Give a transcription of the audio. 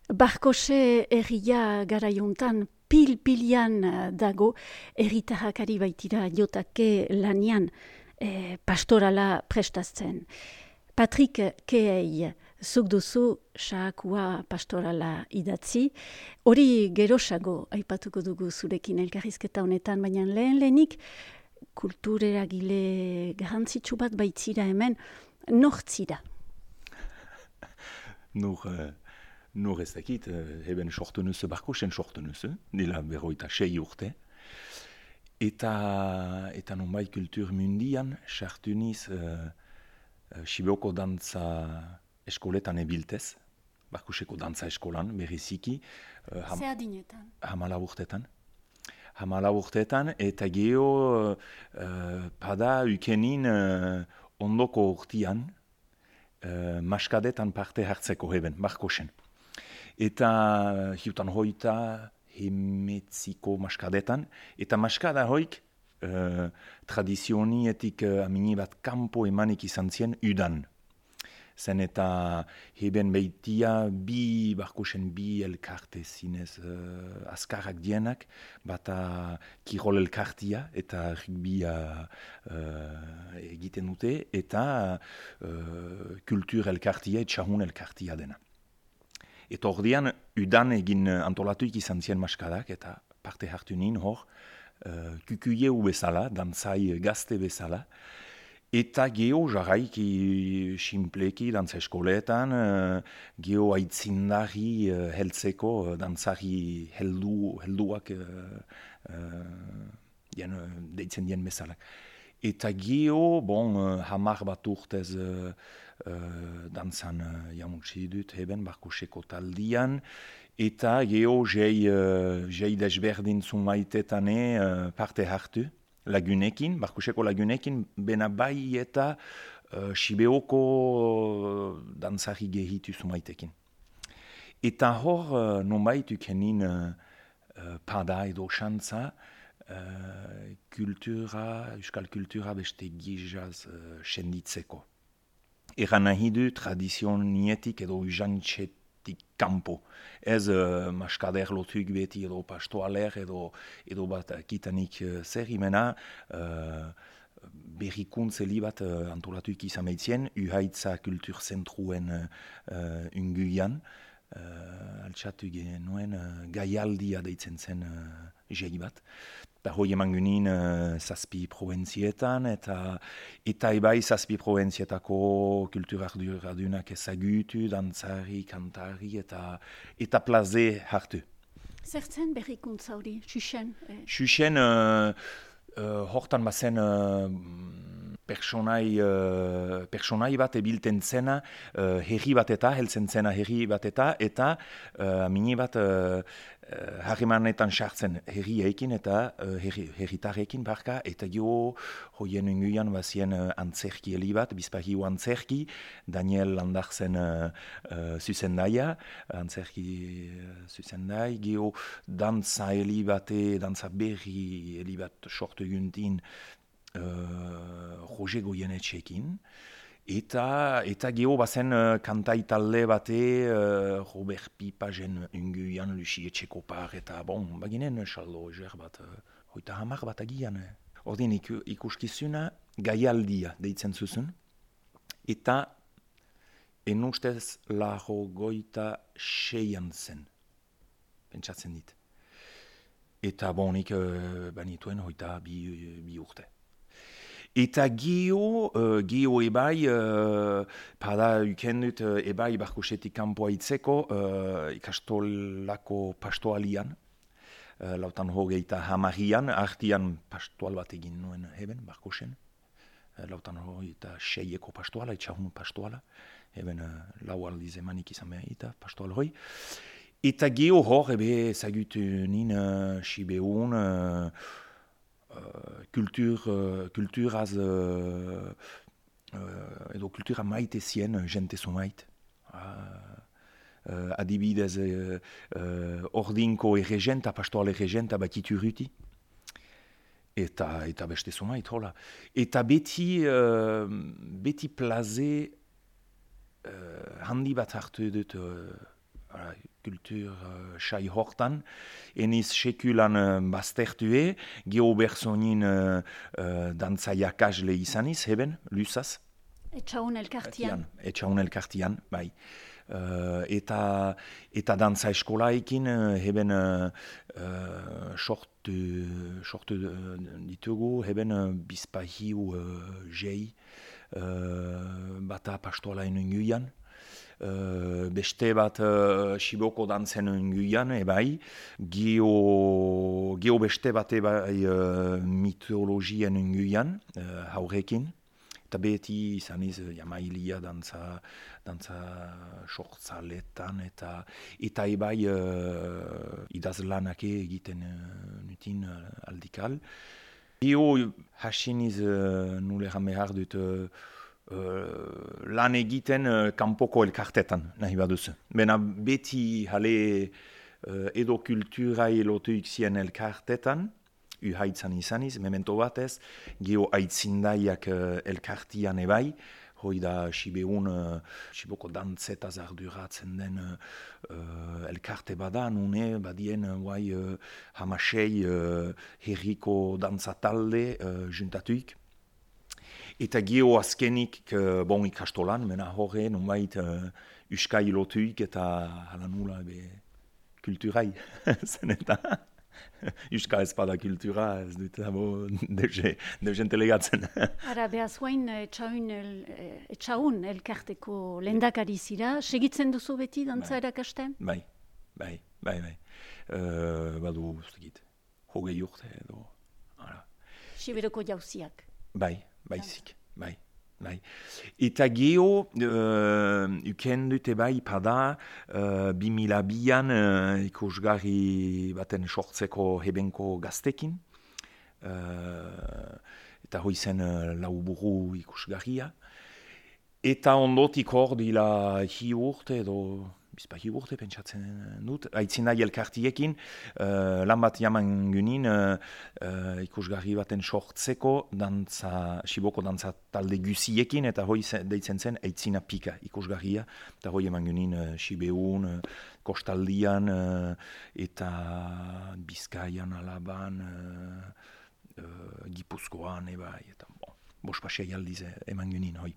Barkose herria garaiontan pil-pilian dago, herritarrak ari baitira jotake lanian pastorala prestatzen. Patrik Kehei, zuk duzu saakua pastorala idatzi, hori gerosago aipatuko dugu zurekin elkarrizketa honetan, baina lehenik kultureragile garrantzitsu bat baitzira hemen, nortzira? Nur ez dakit, eben sortu nuzu, Barkosen sortu nuzu, dela 26 urte. Eta nonbait kultur mundian, sartu niz Sibeoko dantza eskoletan ebiltez, Barkoseko dantza eskolan, bereziki. Ze adinetan? 14 urteetan, eta geho pada ukenin ondoko urtian, maskadetan parte hartzeko heben, Barkosen. Eta hiutan hoita hemetziko maskadetan, eta maskada hoik tradizionietik amini bat kanpo emanik izan zien udan. Zen eta heben beitia Barkosen bi elkarte zinez azkarrak dienak, bata kirol elkartia eta rugbia egiten dute, eta kultur elkartia, etxahun elkartia dena. Eta ordean, udan egin antolatuik izan zien maskadak, eta parte hartu nien hor, kukuieu bezala, dantzai gazte bezala, eta geho jarraiki simpleki dantza eskoletan, geho aitzindari heltzeko, dantzari helduak deitzen dien bezala. Eta geho, 10 bat urtez dantzan jamutsi dut heben Barkoseko taldian, eta geho jei desberdin zumaitetan parte hartu lagunekin, Barkoseko lagunekin, bena bai eta Sibeoko dantzari gehitu zumaitekin. Eta hor, nonbait ukenin pada edo xantza, euskal kultura beste gizaz senditzeko. Eran nahi du tradizionietik edo ujantxetik kanpo. Ez maskader lotuk beti edo pastoaler edo bat kitanik zer imena berrikuntze bat antolatuik izan meitzien, uhaitza kulturzentruen unguian. Altxatu genuen gaialdia deitzen zen jei bat. Eta hoi eman gunin 7 probentzietan, eta ebai 7 proventzietako kulturardunak ezagutu, dantzari, kantari, eta plaze hartu. Zertzen berrikuntza hori, Xuxen? Xuxen, hortan bazen personai bat ebilten zena, herri bat heltzen zena herri bat eta mini bat harremanetan sartzen herriekin eta herritarrekin barka, eta jo hoien unguian bazien antzerki heli bat, bizpahio antzerki, Daniel Landarzen zuzendaia, antzerki zuzendai, geho dantza heli bate, dantza berri heli bat sortu guntin, Roger Goyenetxekin, eta geho bazen kantai talde bate, Robert Pipagen unguian, Lucy Etxekopar, eta baginen saldo ezer bat, 30 bat agian. Ordin ikuskizuna gaialdia deitzen zuzun, eta enustez 86an zen, pentsatzen dit. Eta nik banituen 22 urte. Eta geho ebai, pada ukendut ebai Barkosetik kanpoa itzeko, ikastolako pastoalian, lautan 30 artian pastoal bat egin nuen heben Barkosen, lautan 26eko pastoala, etxahun pastoala, heben 4 aldiz emanik izan behar eta pastoal hoi. Eta geho hor ebe zagutu nin Sibeun, kulturaz edo kultura maite zien jente zumait. Adibidez ordinko erregenta, pastoal erregenta batitu ruti. Eta beste zumait, hola. Eta beti plaze handi bat hartu dut kultur sai hortan, eniz sekulan baztertue, geho berzonin dantza jakasle izaniz, heben, lusaz. Etxaun elkartian. Etxaun elkartian, bai. Eta dantza eskolaekin heben sortu ditugu, heben bizpahiu jei bata pastoala enunguian. Beste bat Siboko dantzen enunguian, ebai. Geo beste bat ebai mitologien enunguian, haurekin. Eta beti izaniz jamailia dantza sortzaletan eta ebai idazlanak egiten nutin aldikal. Eo hasiniz nuleran behar dut lan egiten kanpoko elkartetan nahi baduzu. Bena beti jale edo kulturai lotuik zien elkartetan, uhaitzan izaniz, memento batez, geho aitzindaiak elkartian ebai, hoi da Siboko dantzetaz arduratzen den elkarte bada, nune badien hamasei herriko dantzatalde juntatuik. Eta geho azkenik ikastolan, mena horre, nunbait uskai lotuik eta hala nula kulturai, zen eta... Euskal ezpada kultura, ez dut deusen telegatzen. Ara, behaz etxaun elkarteko lehendakari zira, segitzen duzu beti dantza erakasten? Bai. Badu, zegit, hogei urte edo. Siberoko jauziak? Baizik. Eta geho, ukendute bai pada, 2002an ikusgarri baten sortzeko hebenko gaztekin. Eta hoi zen lauburu ikusgarria. Eta ondotik hor dila hi urte edo... Bizpahi urte pentsatzen dut, aitzindai elkartiekin, lan bat jaman gunin ikusgarri baten sortzeko Siboko dantza talde guziekin, eta hoi deitzen zen aitzina pika ikusgarria, eta hoi eman gunin Sibeun, Kostaldian, eta Bizkaian, Alaban, Gipuzkoan, eta bospasei aldiz eman gunin hoi.